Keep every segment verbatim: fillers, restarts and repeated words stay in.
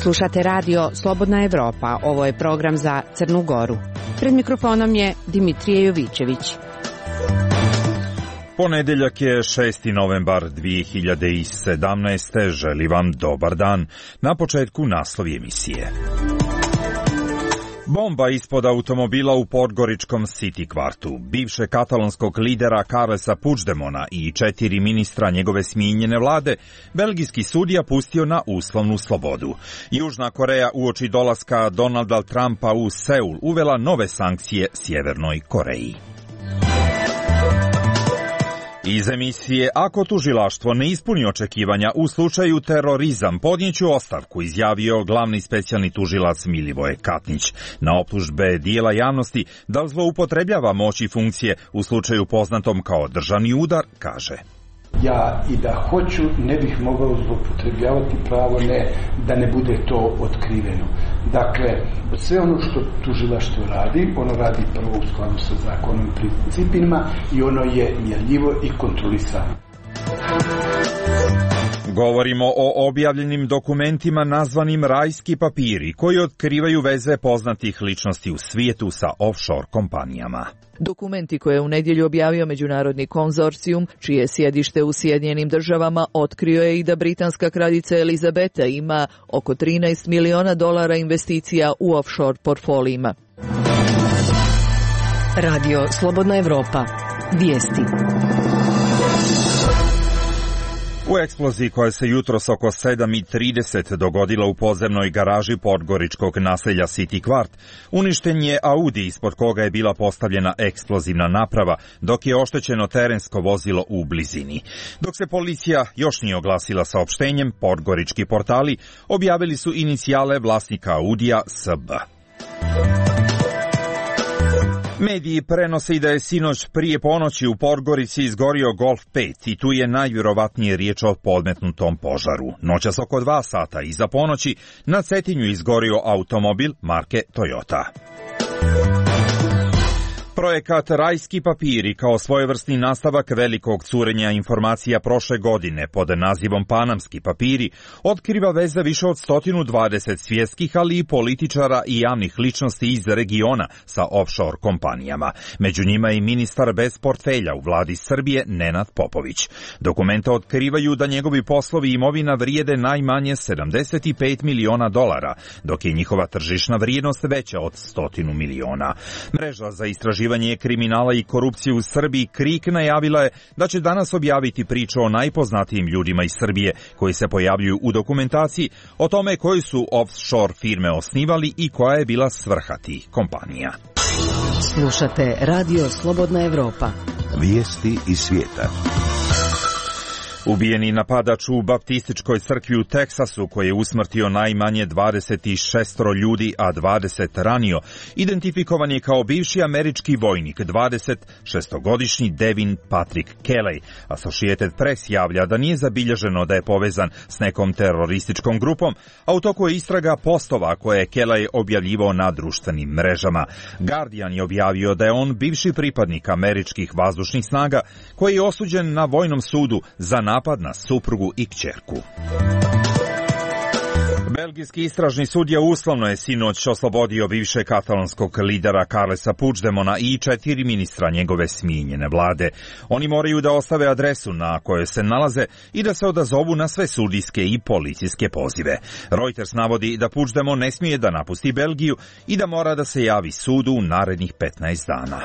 Slušate radio Slobodna Evropa, ovo je program za Crnu Goru. Pred mikrofonom je Dimitrije Jovićević. Ponedeljak je šesti novembar dvije hiljade sedamnaeste. Želim vam dobar dan. Na početku naslovi emisije. Bomba ispod automobila u podgoričkom City kvartu. Bivše katalonskog lidera Carlesa Puigdemona i četiri ministra njegove smijenjene vlade belgijski sudija pustio na uslovnu slobodu. Južna Koreja uoči dolaska Donalda Trumpa u Seul uvela nove sankcije Sjevernoj Koreji. Iz emisije Ako tužilaštvo ne ispuni očekivanja u slučaju terorizam, podnijeću ostavku, izjavio glavni specijalni tužilac Milivoje Katnić. Na optužbe dijela javnosti da zloupotrebljava moć i funkcije u slučaju poznatom kao državni udar, kaže: Ja i da hoću ne bih mogao zloupotrebljavati pravo ne, da ne bude to otkriveno. Dakle, sve ono što tužilaštvo radi, ono radi prvo u skladu sa zakonom i principima i ono je mjerljivo i kontrolisano. Govorimo o objavljenim dokumentima nazvanim rajski papiri, koji otkrivaju veze poznatih ličnosti u svijetu sa offshore kompanijama. Dokumenti koje je u nedjelju objavio međunarodni konzorcijum, čije sjedište u Sjedinjenim državama, otkrio je i da britanska kraljica Elizabeta ima oko trinaest miliona dolara investicija u offshore portfolijima. Radio Slobodna Evropa. Vijesti. U eksploziji koja se jutros oko sedam i trideset dogodila u podzemnoj garaži podgoričkog naselja City kvart, uništen je Audi ispod koga je bila postavljena eksplozivna naprava, dok je oštećeno terensko vozilo u blizini. Dok se policija još nije oglasila saopštenjem, podgorički portali objavili su inicijale vlasnika Audija S B. Mediji prenose i da je sinoć prije ponoći u Podgorici izgorio Golf pet i tu je najvjerovatnije riječ o podmetnutom požaru. Noćas oko dva sata iza ponoći na Cetinju izgorio automobil marke Toyota. Projekat Rajski papiri kao svojevrsni nastavak velikog curenja informacija prošle godine pod nazivom Panamski papiri otkriva veze više od sto dvadeset svjetskih, ali i političara i javnih ličnosti iz regiona sa offshore kompanijama. Među njima i ministar bez portfelja u vladi Srbije Nenad Popović. Dokumenta otkrivaju da njegovi poslovi i imovina vrijede najmanje sedamdeset pet miliona dolara, dok je njihova tržišna vrijednost veća od stotinu miliona. Mreža za istraživanje kriminala i korupcije u Srbiji KRIK najavila je da će danas objaviti priču o najpoznatijim ljudima iz Srbije koji se pojavljuju u dokumentaciji o tome koji su offshore firme osnivali i koja je bila svrha tih kompanija. Slušate Radio Slobodna Evropa. Vijesti iz svijeta. Ubijeni napadač u baptističkoj crkvi u Teksasu, koji je usmrtio najmanje dvadeset šest ljudi, a dvadeset ranio, identifikovan je kao bivši američki vojnik, dvadesetšestogodišnji Devin Patrick Kelley. Associated Press javlja da nije zabilježeno da je povezan s nekom terorističkom grupom, a u toku je istraga postova koje je Kelley objavljivao na društvenim mrežama. Guardian je objavio da je on bivši pripadnik američkih vazdušnih snaga koji je osuđen na vojnom sudu za napad na suprugu i kćerku. Belgijski istražni sudija uslovno je sinoć oslobodio bivše katalonskog lidera Carlesa Puigdemona i četiri ministra njegove smijenjene vlade. Oni moraju da ostave adresu na kojoj se nalaze i da se odazovu na sve sudijske i policijske pozive. Reuters navodi da Puigdemon ne smije da napusti Belgiju i da mora da se javi sudu u narednih petnaest dana.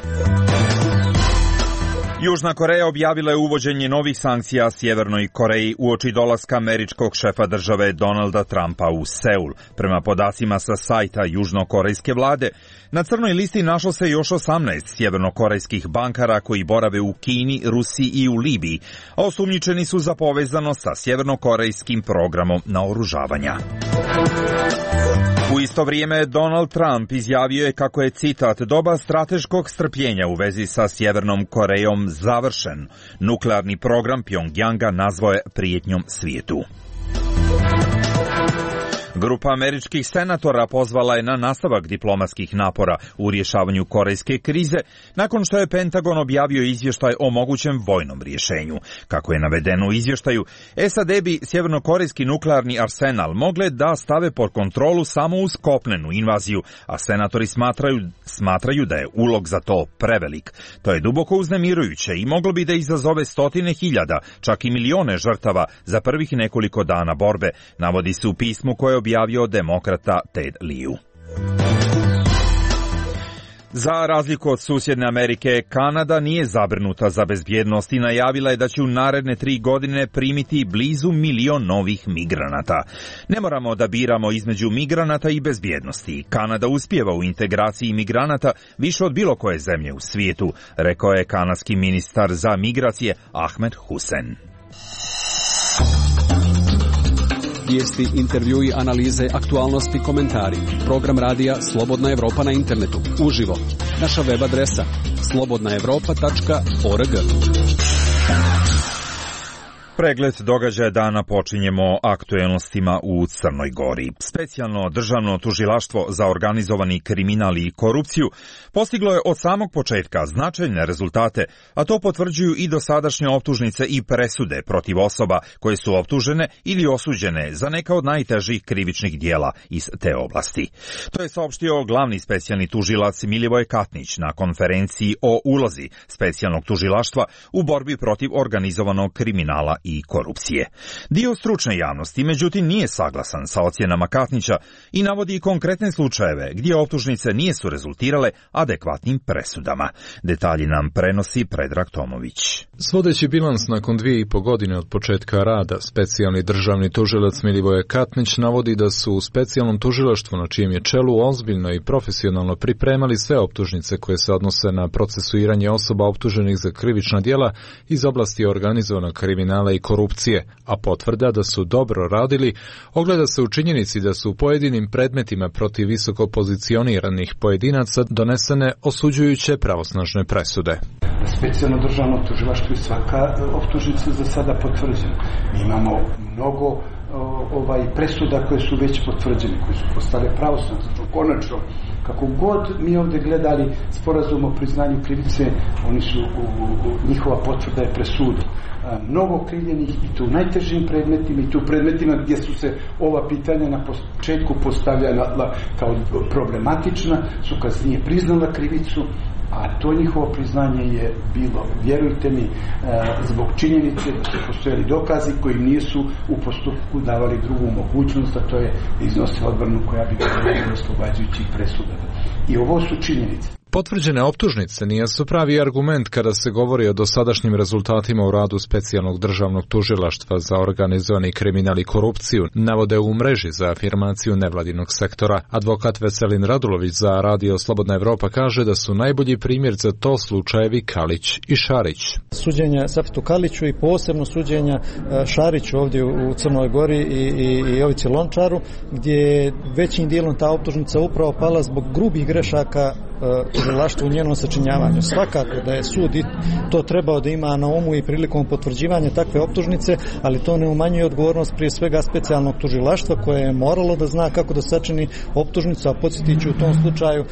Južna Koreja objavila je uvođenje novih sankcija Sjevernoj Koreji uoči dolaska američkog šefa države Donalda Trumpa u Seul. Prema podacima sa sajta južnokorejske vlade, na crnoj listi našlo se još osamnaest sjevernokorejskih bankara koji borave u Kini, Rusiji i u Libiji, a osumnjičeni su za povezano sa sjevernokorejskim programom naoružavanja. U isto vrijeme Donald Trump izjavio je kako je, citat, doba strateškog strpljenja u vezi sa Sjevernom Korejom završen. Nuklearni program Pjongjanga nazvao je prijetnjom svijetu. Grupa američkih senatora pozvala je na nastavak diplomatskih napora u rješavanju korejske krize, nakon što je Pentagon objavio izvještaj o mogućem vojnom rješenju. Kako je navedeno u izvještaju, S A D bi sjevernokorejski nuklearni arsenal mogle da stave pod kontrolu samo uz kopnenu invaziju, a senatori smatraju, smatraju da je ulog za to prevelik. To je duboko uznemirujuće i moglo bi da izazove stotine hiljada, čak i milione žrtava za prvih nekoliko dana borbe, navodi se u pismu koje je objavio demokrata Ted Lieu. Za razliku od susjedne Amerike, Kanada nije zabrinuta za bezbjednost i najavila je da će u naredne tri godine primiti blizu milion novih migranata. Ne moramo da biramo između migranata i bezbjednosti. Kanada uspijeva u integraciji migranata više od bilo koje zemlje u svijetu, rekao je kanadski ministar za migracije Ahmed Hussein. Vijesti, intervjui, analize, aktualnosti, komentari. Program radija Slobodna Evropa na internetu. Uživo. Naša web adresa slobodna evropa tačka org. Pregled događaja dana počinjemo aktuelnostima u Crnoj Gori. Specijalno državno tužilaštvo za organizovani kriminal i korupciju postiglo je od samog početka značajne rezultate, a to potvrđuju i dosadašnje optužnice i presude protiv osoba koje su optužene ili osuđene za neka od najtežih krivičnih dijela iz te oblasti. To je saopštio glavni specijalni tužilac Milivoj Katnić na konferenciji o ulozi specijalnog tužilaštva u borbi protiv organizovanog kriminala i korupcije. Dio stručne javnosti, međutim, nije saglasan sa ocjenama Katnića i navodi konkretne slučajeve gdje optužnice nisu rezultirale adekvatnim presudama. Detalji nam prenosi Predrag Tomović. Svodeći bilans nakon dvije i po godine od početka rada, specijalni državni tužilac Milivoje Katnić navodi da su u specijalnom tužilaštvu na čijem je čelu ozbiljno i profesionalno pripremali sve optužnice koje se odnose na procesuiranje osoba optuženih za krivična djela iz oblasti organizovanog kriminala i korupcije, a potvrda da su dobro radili ogleda se u činjenici da su u pojedinim predmetima protiv visoko pozicioniranih pojedinaca donesene osuđujuće pravosnažne presude. Specijalno državno tužilaštvo i svaka optužnica za sada potvrđena. Mi imamo mnogo ovaj presuda koje su već potvrđene, koje su postale pravosnažne. Konačno, kako god mi ovdje gledali sporazum o priznanju krivice, oni su, u, u, njihova potvrda je presuda. Mnogo okrivljenih i tu u najtežim predmetima i tu predmetima gdje su se ova pitanja na početku postavljala kao problematična, su kasnije priznala krivicu, a to njihovo priznanje je bilo, vjerujte mi, zbog činjenice da su postojali dokazi koji nisu u postupku davali drugu mogućnost, a to je iznosila odbranu koja bi bila oslobađajućih presuda. I ovo su činjenice. Potvrđene optužnice nisu pravi argument kada se govori o dosadašnjim rezultatima u radu specijalnog državnog tužilaštva za organizovani kriminal i korupciju, navode u mreži za afirmaciju nevladinog sektora. Advokat Veselin Radulović za radio Slobodna Evropa kaže da su najbolji primjer za to slučajevi Kalić i Šarić. Suđenja Safetu Kaliću i posebno suđenja Šariću ovdje u Crnoj Gori i, i, i Jovici Lončaru, gdje je većim dijelom ta optužnica upravo pala zbog grubih grešaka tužilaštvu u njenom sačinjavanju. Svakako da je sud i to trebao da ima na umu i prilikom potvrđivanja takve optužnice, ali to ne umanjuje odgovornost prije svega specijalnog tužilaštva koje je moralo da zna kako da sačini optužnicu, a podsjetit ću u tom slučaju e,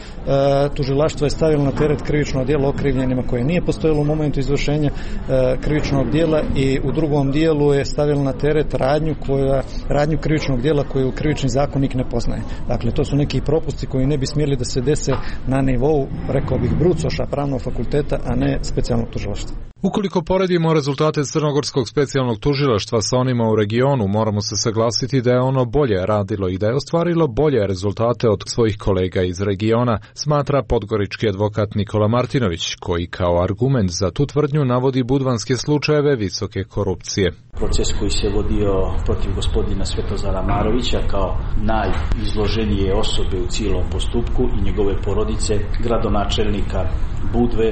tužilaštvo je stavilo na teret krivično djelo okrivljenima koje nije postojalo u momentu izvršenja e, krivičnog djela i u drugom dijelu je stavilo na teret radnju koja radnju krivičnog djela koju krivični zakonik ne poznaje. Dakle, to su neki propusti koji ne bi smjeli da se dese na nivou, rekao bih, brucoša pravnog fakulteta, a ne specijalnog tužilaštva. Ukoliko poredimo rezultate Crnogorskog specijalnog tužilaštva sa onima u regionu, moramo se saglasiti da je ono bolje radilo i da je ostvarilo bolje rezultate od svojih kolega iz regiona, smatra podgorički advokat Nikola Martinović, koji kao argument za tu tvrdnju navodi budvanske slučajeve visoke korupcije. Proces koji se vodio protiv gospodina Svetozara Marovića kao najizloženije osobe u cijelom postupku i njegove porodice, gradonačelnika Budve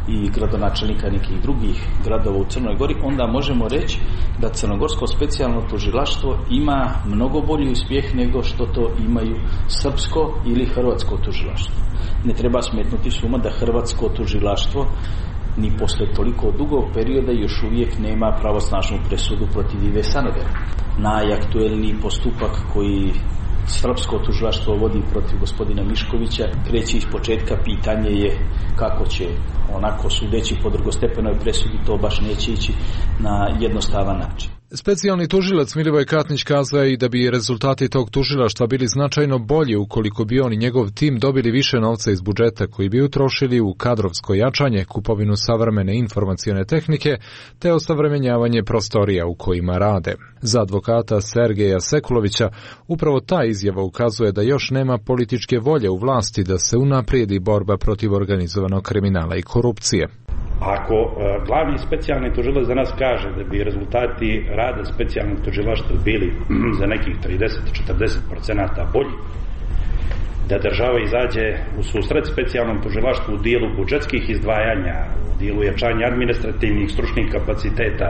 i gradonačelnika nekih drugih gradova u Crnoj Gori, onda možemo reći da Crnogorsko specijalno tužilaštvo ima mnogo bolji uspjeh nego što to imaju srpsko ili hrvatsko tužilaštvo. Ne treba smetnuti suma da hrvatsko tužilaštvo ni posle toliko dugog perioda još uvijek nema pravosnažnu presudu protiv Ive Sanadera. Najaktuelniji postupak koji srpsko tužilaštvo vodi protiv gospodina Miškovića, kreće iz početka, pitanje je kako će, onako sudeći po drugostepenoj presudi, to baš neće ići na jednostavan način. Specijalni tužilac Milivoj Katnić kazao je i da bi rezultati tog tužilaštva bili značajno bolji ukoliko bi on i njegov tim dobili više novca iz budžeta koji bi utrošili u kadrovsko jačanje, kupovinu savremene informacione tehnike te osavremenjavanje prostorija u kojima rade. Za advokata Sergeja Sekulovića upravo ta izjava ukazuje da još nema političke volje u vlasti da se unaprijedi borba protiv organizovanog kriminala i korupcije. Ako e, glavni specijalni tužilac za nas kaže da bi rezultati rada specijalnog tužilaštva bili za nekih trideset do četrdeset procenata bolji, da država izađe u susret specijalnom tužilaštvu u dijelu budžetskih izdvajanja, u dijelu jačanja administrativnih, stručnih kapaciteta,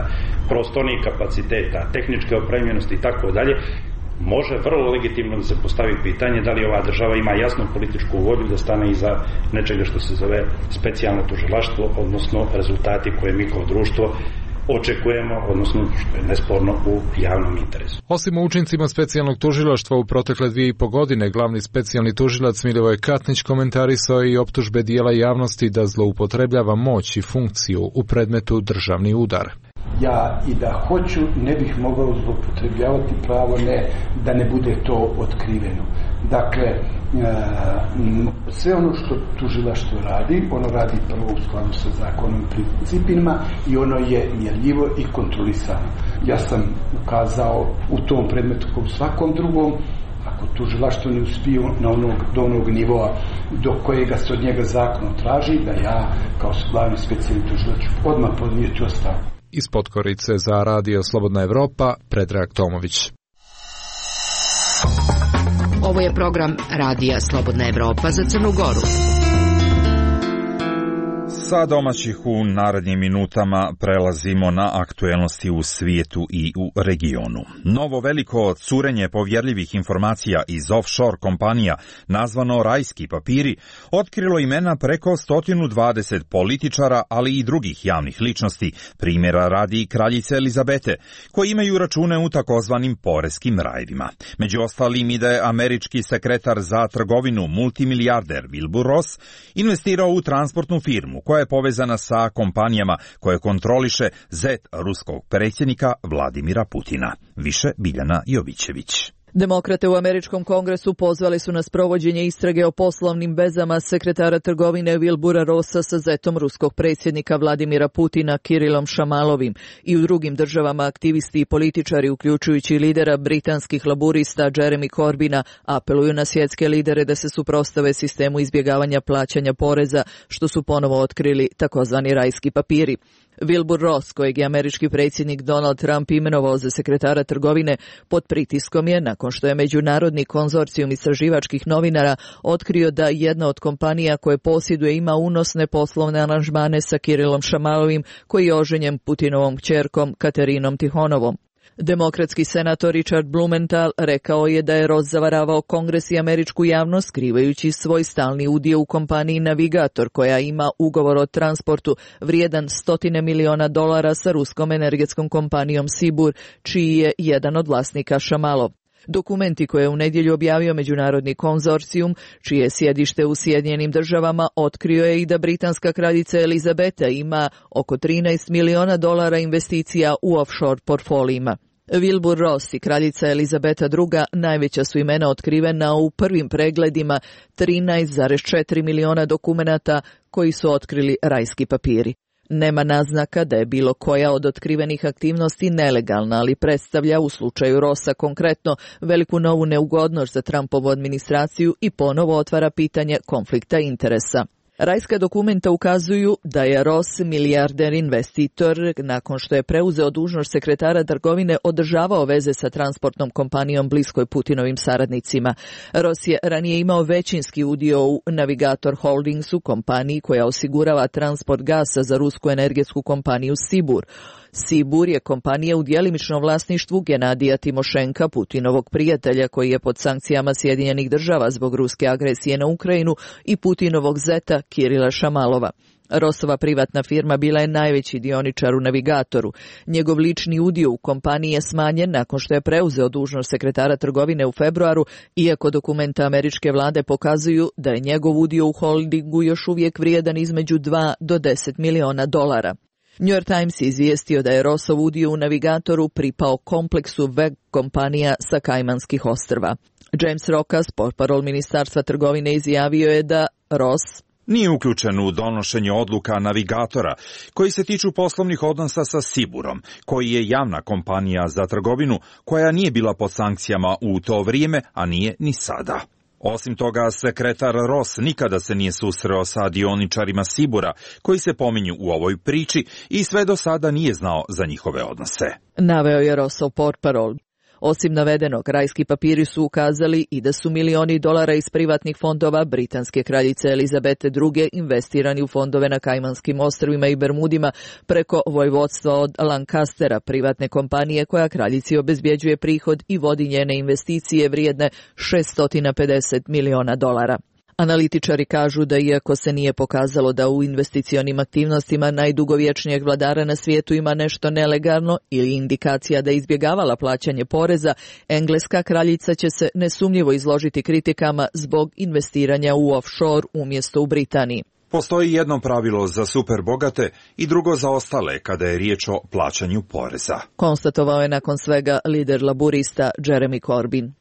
prostornih kapaciteta, tehničke opremljenosti i tako dalje, može vrlo legitimno da se postavi pitanje da li ova država ima jasnu političku volju da stane iza nečega što se zove specijalno tužilaštvo, odnosno rezultati koje mi kao društvo očekujemo, odnosno što je nesporno u javnom interesu. Osim o učincima specijalnog tužilaštva u protekle dvije i po godine, glavni specijalni tužilac Milivoj Katnić komentarisao je i optužbe dijela javnosti da zloupotrebljava moć i funkciju u predmetu državni udar. Ja i da hoću ne bih mogao zloupotrebljavati pravo ne, da ne bude to otkriveno. Dakle, sve ono što tužilaštvo radi, ono radi prvo u skladu sa zakonom i principima i ono je mjerljivo i kontrolisano. Ja sam ukazao u tom predmetu kao u svakom drugom, ako tužilaštvo ne uspije na onog, do onog nivoa do kojega se od njega zakon traži, da ja kao glavni specijalni tužilac odmah podnijeti ostavku. Iz Podgorice za Radio Slobodna Evropa, Predrag Tomović. Ovo je program Radija Slobodna Evropa za Crnu Goru. Sa domaćih u narednim minutama prelazimo na aktuelnosti u svijetu i u regionu. Novo veliko curenje povjerljivih informacija iz offshore kompanija, nazvano Rajski papiri, otkrilo imena preko sto dvadeset političara, ali i drugih javnih ličnosti, primjera radi kraljice Elizabete, koji imaju račune u takozvanim poreskim rajevima. Među ostalim i da je američki sekretar za trgovinu, multimilijarder Wilbur Ross, investirao u transportnu firmu koja je povezana sa kompanijama koje kontroliše zet ruskog predsjednika Vladimira Putina. Više Biljana Jovićević. Demokrate u američkom kongresu pozvali su na sprovođenje istrage o poslovnim vezama sekretara trgovine Wilbura Rossa sa zetom ruskog predsjednika Vladimira Putina Kirilom Šamalovim. I u drugim državama aktivisti i političari, uključujući lidera britanskih laburista Jeremy Corbina, apeluju na svjetske lidere da se suprotstave sistemu izbjegavanja plaćanja poreza, što su ponovo otkrili takozvani rajski papiri. Wilbur Ross, kojeg je američki predsjednik Donald Trump imenovao za sekretara trgovine, pod pritiskom je, nakon što je međunarodni konzorcijum istraživačkih novinara otkrio da jedna od kompanija koje posjeduje ima unosne poslovne aranžmane sa Kirilom Šamalovim, koji je oženjen Putinovom kćerkom Katerinom Tihonovom. Demokratski senator Richard Blumenthal rekao je da je Ross zavaravao Kongres i američku javnost skrivajući svoj stalni udio u kompaniji Navigator, koja ima ugovor o transportu vrijedan stotine miliona dolara sa ruskom energetskom kompanijom Sibur, čiji je jedan od vlasnika Šamalov. Dokumenti koje je u nedjelju objavio međunarodni konzorcijum, čije je sjedište u Sjedinjenim državama, otkrio je i da britanska kraljica Elizabeta ima oko trinaest miliona dolara investicija u offshore portfolijima. Wilbur Ross i kraljica Elizabeta druga najveća su imena otkrivena u prvim pregledima trinaest zarez četiri miliona dokumenata koji su otkrili rajski papiri. Nema naznaka da je bilo koja od otkrivenih aktivnosti nelegalna, ali predstavlja u slučaju Rossa konkretno veliku novu neugodnost za Trumpovu administraciju i ponovo otvara pitanje konflikta interesa. Rajska dokumenta ukazuju da je Ross, milijarder investitor, nakon što je preuzeo dužnost sekretara trgovine, održavao veze sa transportnom kompanijom bliskoj Putinovim saradnicima. Ross je ranije imao većinski udio u Navigator Holdingsu, kompaniji koja osigurava transport gasa za rusku energetsku kompaniju Sibur. Sibur je kompanija u djelimičnom vlasništvu Genadija Timošenka, Putinovog prijatelja koji je pod sankcijama Sjedinjenih država zbog ruske agresije na Ukrajinu, i Putinovog zeta Kirila Šamalova. Rosova privatna firma bila je najveći dioničar u Navigatoru. Njegov lični udio u kompaniji je smanjen nakon što je preuzeo dužnost sekretara trgovine u februaru, iako dokumenta američke vlade pokazuju da je njegov udio u holdingu još uvijek vrijedan između dva do deset miliona dolara. New York Times je izvijestio da je Rossov udio u Navigatoru pripao kompleksu web kompanija sa Kajmanskih ostrva. James Rokas, portparol Ministarstva trgovine, izjavio je da Ross nije uključen u donošenje odluka Navigatora koji se tiču poslovnih odnosa sa Siburom, koji je javna kompanija za trgovinu koja nije bila pod sankcijama u to vrijeme, a nije ni sada. Osim toga, sekretar Ross nikada se nije susreo sa dioničarima Sibura koji se pominju u ovoj priči i sve do sada nije znao za njihove odnose. Naveo je Rossov portparol. Osim navedenog, rajski papiri su ukazali i da su milioni dolara iz privatnih fondova britanske kraljice Elizabete druge investirani u fondove na Kajmanskim ostrvima i Bermudima preko vojvodstva od Lancastera, privatne kompanije koja kraljici obezbjeđuje prihod i vodi njene investicije vrijedne šesto pedeset miliona dolara. Analitičari kažu da iako se nije pokazalo da u investicionim aktivnostima najdugovječnijeg vladara na svijetu ima nešto nelegalno ili indikacija da je izbjegavala plaćanje poreza, engleska kraljica će se nesumnjivo izložiti kritikama zbog investiranja u offshore umjesto u Britaniji. Postoji jedno pravilo za superbogate i drugo za ostale kada je riječ o plaćanju poreza, konstatovao je nakon svega lider laburista Jeremy Corbyn.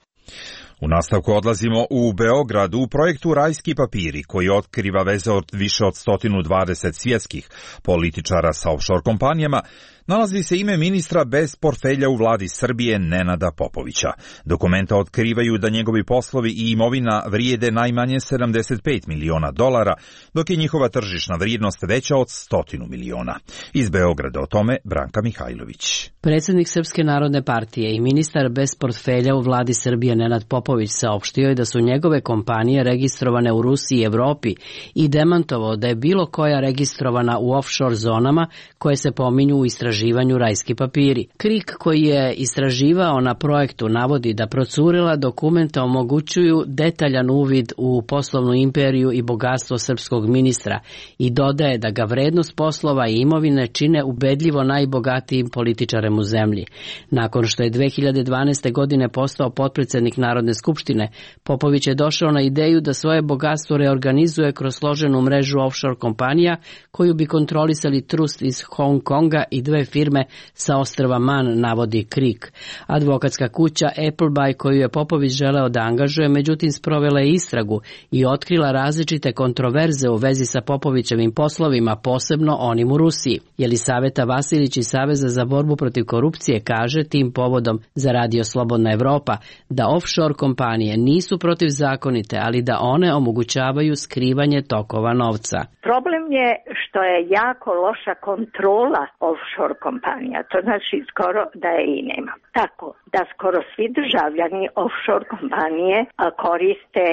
U nastavku odlazimo u Beograd u projektu Rajski papiri koji otkriva veze od više od sto dvadeset svjetskih političara sa offshore kompanijama. Nalazi se ime ministra bez portfelja u vladi Srbije Nenada Popovića. Dokumenta otkrivaju da njegovi poslovi i imovina vrijede najmanje sedamdeset pet miliona dolara, dok je njihova tržišna vrijednost veća od stotinu miliona. Iz Beograda o tome Branka Mihajlović. Predsjednik Srpske narodne partije i ministar bez portfelja u vladi Srbije Nenad Popović saopštio je da su njegove kompanije registrovane u Rusiji i Evropi i demantovao da je bilo koja registrovana u offshore zonama koje se pominju u istraživanju istraživanju Rajski papiri. Krik koji je istraživao na projektu navodi da procurila dokumenta omogućuju detaljan uvid u poslovnu imperiju i bogatstvo srpskog ministra i dodaje da ga vrednost poslova i imovine čine ubedljivo najbogatijim političarem u zemlji. Nakon što je dve hiljade dvanaeste. godine postao potpredsjednik Narodne skupštine, Popović je došao na ideju da svoje bogatstvo reorganizuje kroz složenu mrežu offshore kompanija koju bi kontrolisali trust iz Hong Konga i dve firme sa ostrva Man, navodi Krik. Advokatska kuća Appleby koju je Popović želeo da angažuje, međutim sprovela je istragu i otkrila različite kontroverze u vezi sa Popovićevim poslovima, posebno onim u Rusiji. Jelisaveta Vasilić iz Saveza za borbu protiv korupcije kaže tim povodom za Radio Slobodna Evropa da offshore kompanije nisu protivzakonite, ali da one omogućavaju skrivanje tokova novca. Problem je što je jako loša kontrola offshore kompanija, to znači skoro da je i nema. Tako da skoro svi državljani offshore kompanije koriste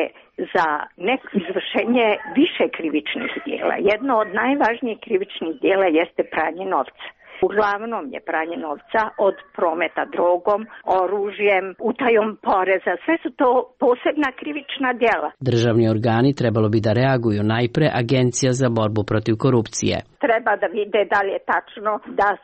za neko izvršenje više krivičnih djela. Jedno od najvažnijih krivičnih djela jeste pranje novca. Uglavnom je pranje novca od prometa drogom, oružjem, utajom poreza. Sve su to posebna krivična djela. Državni organi trebalo bi da reaguju, najpre Agencija za borbu protiv korupcije. Treba da vide da li je tačno da uh,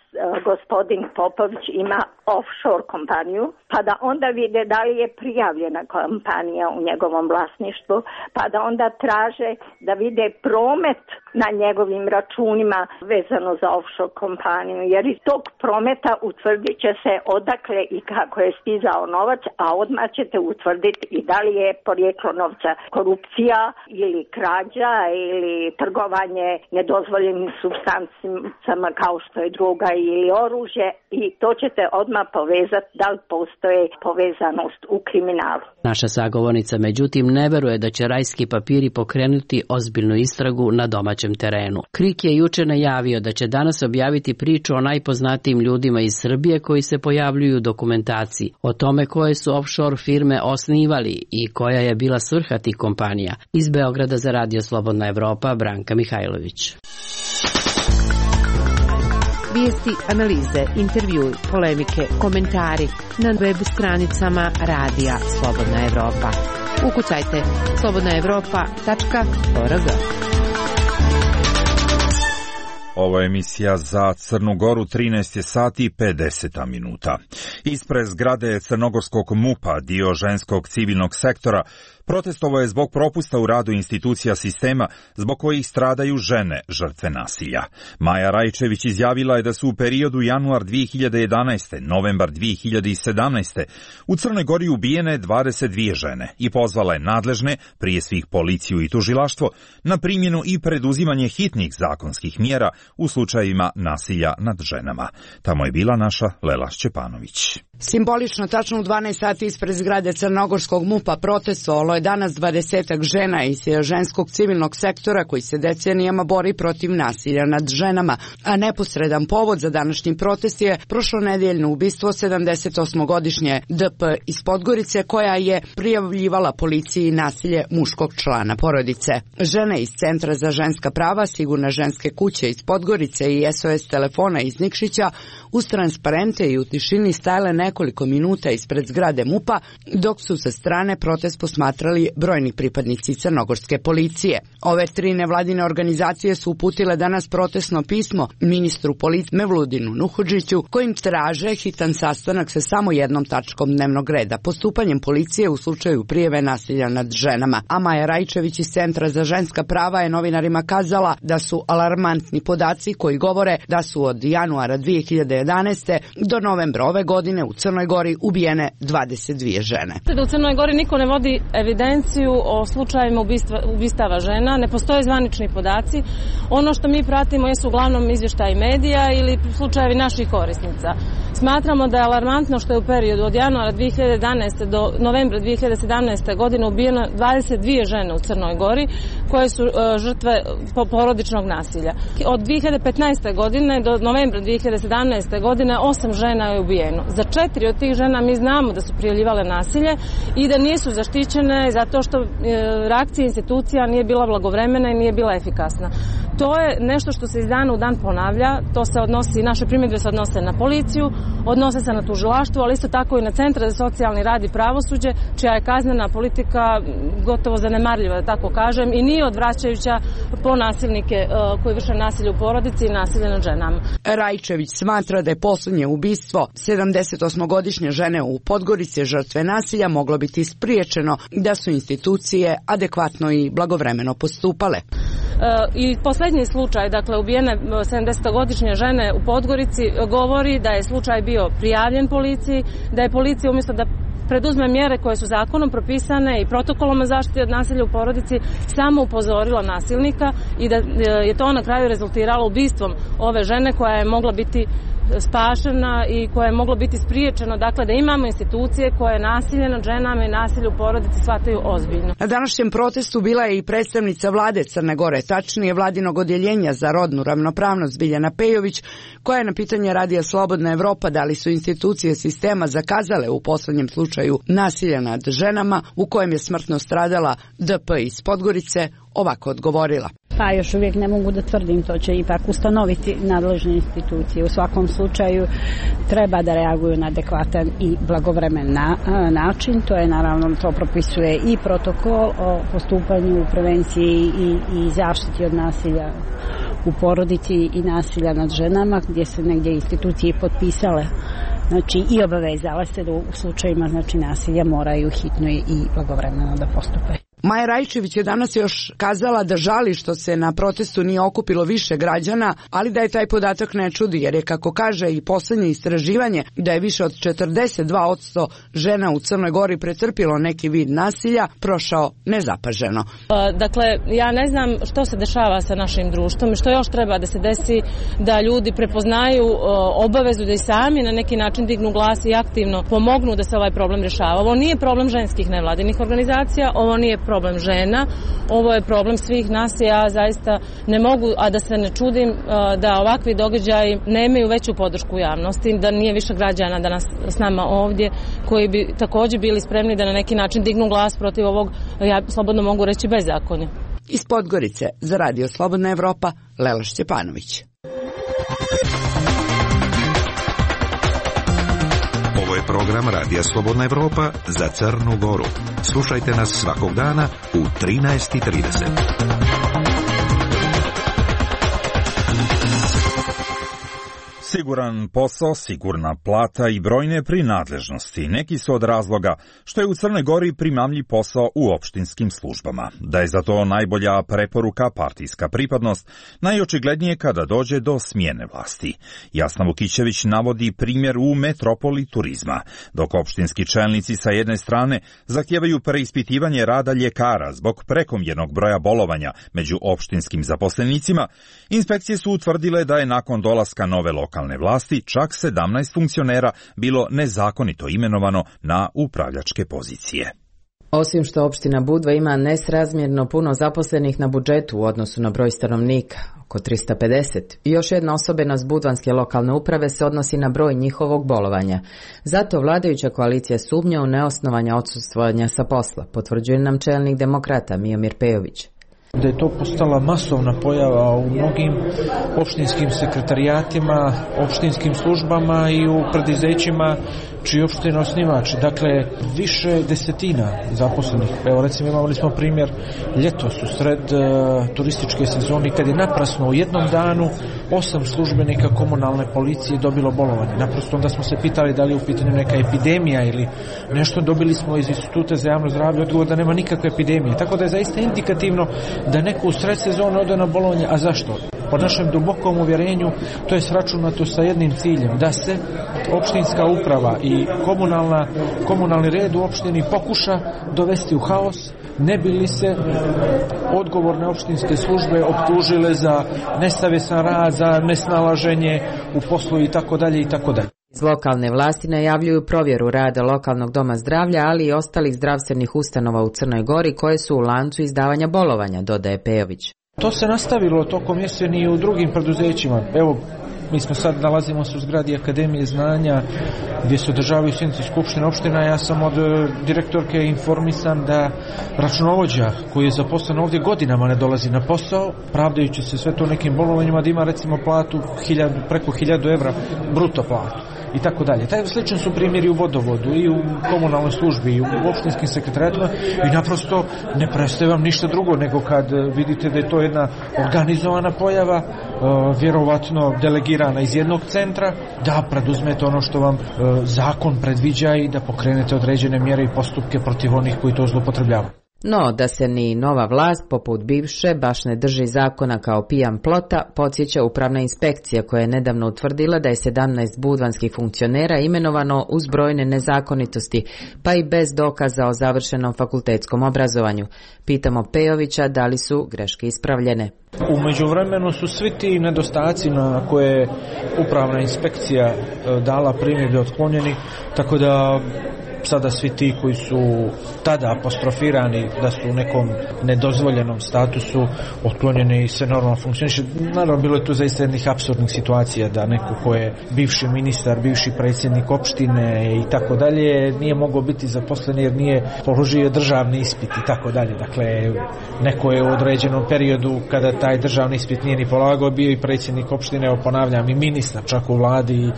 gospodin Popović ima offshore kompaniju, pa da onda vide da li je prijavljena kompanija u njegovom vlasništvu, pa da onda traže da vide promet na njegovim računima vezano za offshore kompaniju, jer iz tog prometa utvrdit će se odakle i kako je stizao novac, a odmah ćete utvrditi i da li je porijeklo novca korupcija ili krađa ili trgovanje nedozvoljenim supstancama kao što je droga ili oružje, i to ćete odmah povezati da li postoje povezanost u kriminalu. Naša sagovornica međutim ne veruje da će Rajski papiri pokrenuti ozbiljnu istragu na domaćem terenu. Krik je juče najavio da će danas objaviti priču o najpoznatijim ljudima iz Srbije koji se pojavljuju u dokumentaciji, o tome koje su offshore firme osnivali i koja je bila svrha tih kompanija. Iz Beograda za Radio Slobodna Evropa, Branka Mihajlović. Vijesti, analize, intervjui, polemike, komentari na web stranicama Radija Slobodna Evropa. Ukucajte slobodna evropa tačka org. Ovo je emisija za Crnu Goru, trinaest je sati i pedeset minuta. Ispred zgrade crnogorskog MUP-a, dio ženskog civilnog sektora, protestovo je zbog propusta u radu institucija sistema zbog kojih stradaju žene žrtve nasilja. Maja Rajčević izjavila je da su u periodu januar dvije hiljade jedanaeste. novembar dvije hiljade sedamnaeste. u Crnoj Gori ubijene dvadeset dvije žene i pozvala je nadležne, prije svih policiju i tužilaštvo, na primjenu i preduzimanje hitnih zakonskih mjera u slučajevima nasilja nad ženama. Tamo je bila naša Lela Šćepanović. Simbolično tačno u dvanaest sati ispred zgrade crnogorskog MUP-a protestovalo je danas dvadesetak žena iz ženskog civilnog sektora koji se decenijama bori protiv nasilja nad ženama, a neposredan povod za današnji protest je prošlonedeljno ubistvo sedamdesetosmogodišnje D P iz Podgorice koja je prijavljivala policiji nasilje muškog člana porodice. Žene iz Centra za ženska prava, Sigurne ženske kuće iz Podgorice i S O S telefona iz Nikšića uz transparente i u tišini stajale nekoliko minuta ispred zgrade MUP-a, dok su sa strane protest posmatrali brojni pripadnici crnogorske policije. Ove tri nevladine organizacije su uputile danas protestno pismo ministru policije Mevludinu Nuhodžiću, kojim traže hitan sastanak sa samo jednom tačkom dnevnog reda, postupanjem policije u slučaju prijave nasilja nad ženama. A Maja Rajčević iz Centra za ženska prava je novinarima kazala da su alarmantni podaci koji govore da su od januara dvije hiljade jedanaeste. do novembra ove godine u Crnoj Gori ubijene dvadeset dvije žene. Da u Crnoj Gori niko ne vodi evidenciju o slučajevima ubistva, ubistava žena, ne postoje zvanični podaci. Ono što mi pratimo jesu uglavnom izvještaji medija ili slučajevi naših korisnica. Smatramo da je alarmantno što je u periodu od januara dvije hiljade jedanaeste. do novembra dvije hiljade sedamnaeste. godine ubijeno dvadeset dvije žene u Crnoj Gori koje su uh, žrtve porodičnog nasilja. Od dvije hiljade petnaeste. godine do novembra dvije hiljade sedamnaeste. godine osam žena je ubijeno. Za četiri od tih žena mi znamo da su prijavljivale nasilje i da nisu zaštićene zato što e, reakcija institucija nije bila blagovremena i nije bila efikasna. To je nešto što se iz dana u dan ponavlja, to se odnosi, naše primjedbe se odnose na policiju, odnose se na tužilaštvo, ali isto tako i na Centar za socijalni rad i pravosuđe, čija je kaznena politika gotovo zanemarljiva, da tako kažem, i nije odvraćajuća po nasilnike e, koji vrše nasilje u porodici i nasilje nad ženama. Rajčević smatra da je posljednje ubistvo sedamdesetosmogodišnje žene u Podgorici žrtve nasilja moglo biti spriječeno da su institucije adekvatno i blagovremeno postupale. I posljednji slučaj, dakle ubijene sedamdesetogodišnje žene u Podgorici, govori da je slučaj bio prijavljen policiji, da je policija umjesto da preduzme mjere koje su zakonom propisane i protokolom o zaštiti od nasilja u porodici samo upozorila nasilnika i da je to na kraju rezultiralo ubistvom ove žene koja je mogla biti spašena i koje je moglo biti spriječeno, dakle da imamo institucije koje nasilje nad ženama i nasilje u porodici shvataju ozbiljno. Na današnjem protestu bila je i predstavnica vlade Crne Gore, tačnije vladinog odjeljenja za rodnu ravnopravnost Biljana Pejović, koja je na pitanje Radija Slobodna Evropa da li su institucije sistema zakazale u posljednjem slučaju nasilja nad ženama u kojem je smrtno stradala D P iz Podgorice, ovako odgovorila. Pa još uvijek ne mogu da tvrdim, to će ipak ustanoviti nadležne institucije. U svakom slučaju treba da reaguju na adekvatan i blagovremen na, način. To je naravno, to propisuje i protokol o postupanju, prevenciji i, i zaštiti od nasilja u porodici i nasilja nad ženama, gdje se negdje institucije potpisale, znači i obavezale se da u slučajima znači nasilja moraju hitno i blagovremeno da postupe. Maja Rajčević je danas još kazala da žali što se na protestu nije okupilo više građana, ali da je taj podatak ne čudi, jer je, kako kaže i posljednje istraživanje, da je više od četrdeset dva posto žena u Crnoj Gori pretrpilo neki vid nasilja, prošao nezapaženo. Dakle, ja ne znam što se dešava sa našim društvom i što još treba da se desi da ljudi prepoznaju obavezu da i sami na neki način dignu glas i aktivno pomognu da se ovaj problem rješava. Ovo nije problem ženskih nevladinih organizacija, ovo nije problem žena, ovo je problem svih nas i ja zaista ne mogu, a da se ne čudim da ovakvi događaji nemaju veću podršku u javnosti, da nije više građana danas s nama ovdje koji bi također bili spremni da na neki način dignu glas protiv ovog, ja slobodno mogu reći, bezakonja. Iz Podgorice za Radio Slobodna Evropa, Lela Šćepanović. program Radija Slobodna Evropa za Crnu Goru. Slušajte nas svakog dana u trinaest i trideset. Siguran posao, sigurna plata i brojne prinadležnosti neki su od razloga što je u Crnoj Gori primamljiv posao u opštinskim službama. Da je za to najbolja preporuka partijska pripadnost, najočiglednije kada dođe do smjene vlasti. Jasna Vukićević navodi primjer u metropoli turizma, dok opštinski čelnici sa jedne strane zahtijevaju preispitivanje rada ljekara zbog prekomjernog broja bolovanja među opštinskim zaposlenicima, inspekcije su utvrdile da je nakon dolaska nove lokalne vlasti čak sedamnaest funkcionera bilo nezakonito imenovano na upravljačke pozicije. Osim što opština Budva ima nesrazmjerno puno zaposlenih na budžetu u odnosu na broj stanovnika, oko trista pedeset, i još jedna osobenost budvanske lokalne uprave se odnosi na broj njihovog bolovanja. Zato vladajuća koalicija sumnja u neosnovanja odsustvovanja sa posla, potvrđuje nam čelnik demokrata Miomir Pejović. Da je to postala masovna pojava u mnogim opštinskim sekretarijatima, opštinskim službama i u preduzećima čiji opština osnivač. Dakle, više desetina zaposlenih. Evo recimo imali smo primjer ljetos u sred uh, turističke sezone kad je naprasno u jednom danu osam službenika komunalne policije dobilo bolovanje. Naprosto onda smo se pitali da li je u pitanju neka epidemija ili nešto. Dobili smo iz Instituta za javno zdravlje odgovor da nema nikakve epidemije. Tako da je zaista indikativno da neko u sred sezone ode na bolovanje. A zašto? Po našem dubokom uvjerenju to je sračunato sa jednim ciljem, da se opštinska uprava i komunalna, komunalni red u opštini pokuša dovesti u haos, ne bi li se odgovorne opštinske službe optužile za nesavjestan rad, za nesnalaženje u poslu i tako dalje i tako dalje. Iz lokalne vlasti najavljuju provjeru rada lokalnog doma zdravlja, ali i ostalih zdravstvenih ustanova u Crnoj Gori koje su u lancu izdavanja bolovanja, dodaje Pejović. To se nastavilo tokom jeseni i u drugim preduzećima. Evo, mi smo sad nalazimo se u zgradi Akademije znanja gdje se održavaju sjednice skupštine opština. Ja sam od direktorke informisan da računovođa koji je zaposlen ovdje godinama ne dolazi na posao, pravdajući se sve to nekim bolovanjima, da ima recimo platu hiljadu, preko hiljadu evra bruto platu i tako dalje. Taj sličan su primjeri u vodovodu i u komunalnoj službi i u opštinskim sekretarijatima i naprosto ne prestaje vam ništa drugo nego kad vidite da je to jedna organizovana pojava, vjerovatno delegirana iz jednog centra, da preduzmete ono što vam zakon predviđa i da pokrenete određene mjere i postupke protiv onih koji to zloupotrebljavaju. No, da se ni nova vlast, poput bivše, baš ne drži zakona kao pijan plota, podsjeća upravna inspekcija koja je nedavno utvrdila da je sedamnaest budvanskih funkcionera imenovano uz brojne nezakonitosti, pa i bez dokaza o završenom fakultetskom obrazovanju. Pitamo Pejovića da li su greške ispravljene. U međuvremenu su svi ti nedostaci na koje je upravna inspekcija dala primjedbe otklonjeni, tako da sada svi ti koji su tada apostrofirani da su u nekom nedozvoljenom statusu otklonjeni i se normalno funkcioniše. Naravno, bilo je tu zaista jednih apsurdnih situacija da neko ko je bivši ministar, bivši predsjednik opštine i tako dalje nije mogao biti zaposlen jer nije položio državni ispit i tako dalje. Dakle, neko je u određenom periodu kada taj državni ispit nije ni polagao bio i predsjednik opštine, evo ponavljam, i ministar čak u vladi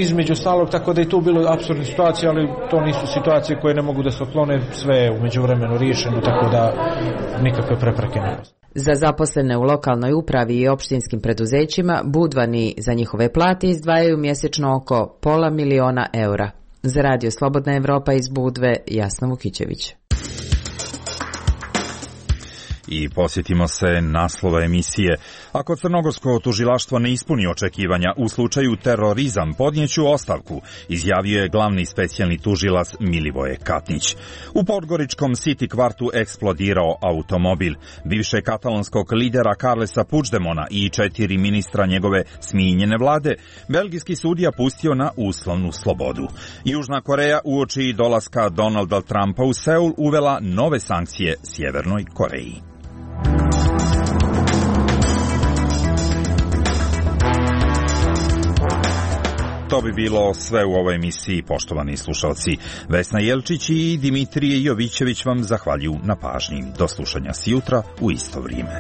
između stalog, tako da je tu bilo apsurdnih situacija, ali to nisu situacije koje ne mogu da se otklone, sve je u međuvremenu riješeno, tako da nikakve prepreke ne postoje. Za zaposlene u lokalnoj upravi i opštinskim preduzećima Budvani za njihove plate izdvajaju mjesečno oko pola miliona eura. Za Radio Slobodna Evropa iz Budve, Jasna Vukićević. I posjetimo se naslova emisije. Ako crnogorsko tužilaštvo ne ispuni očekivanja u slučaju terorizam, podnijeću ostavku, izjavio je glavni specijalni tužilac Milivoje Katnić. U podgoričkom City kvartu eksplodirao automobil. Bivše katalonskog lidera Carlesa Puigdemona i četiri ministra njegove smijenjene vlade, belgijski sudija pustio na uslovnu slobodu. Južna Koreja uoči dolaska Donalda Trumpa u Seul uvela nove sankcije Sjevernoj Koreji. To bi bilo sve u ovoj emisiji, poštovani slušalci. Vesna Jelčić i Dimitrije Jovićević vam zahvaljuju na pažnji. Do slušanja sjutra u isto vrijeme.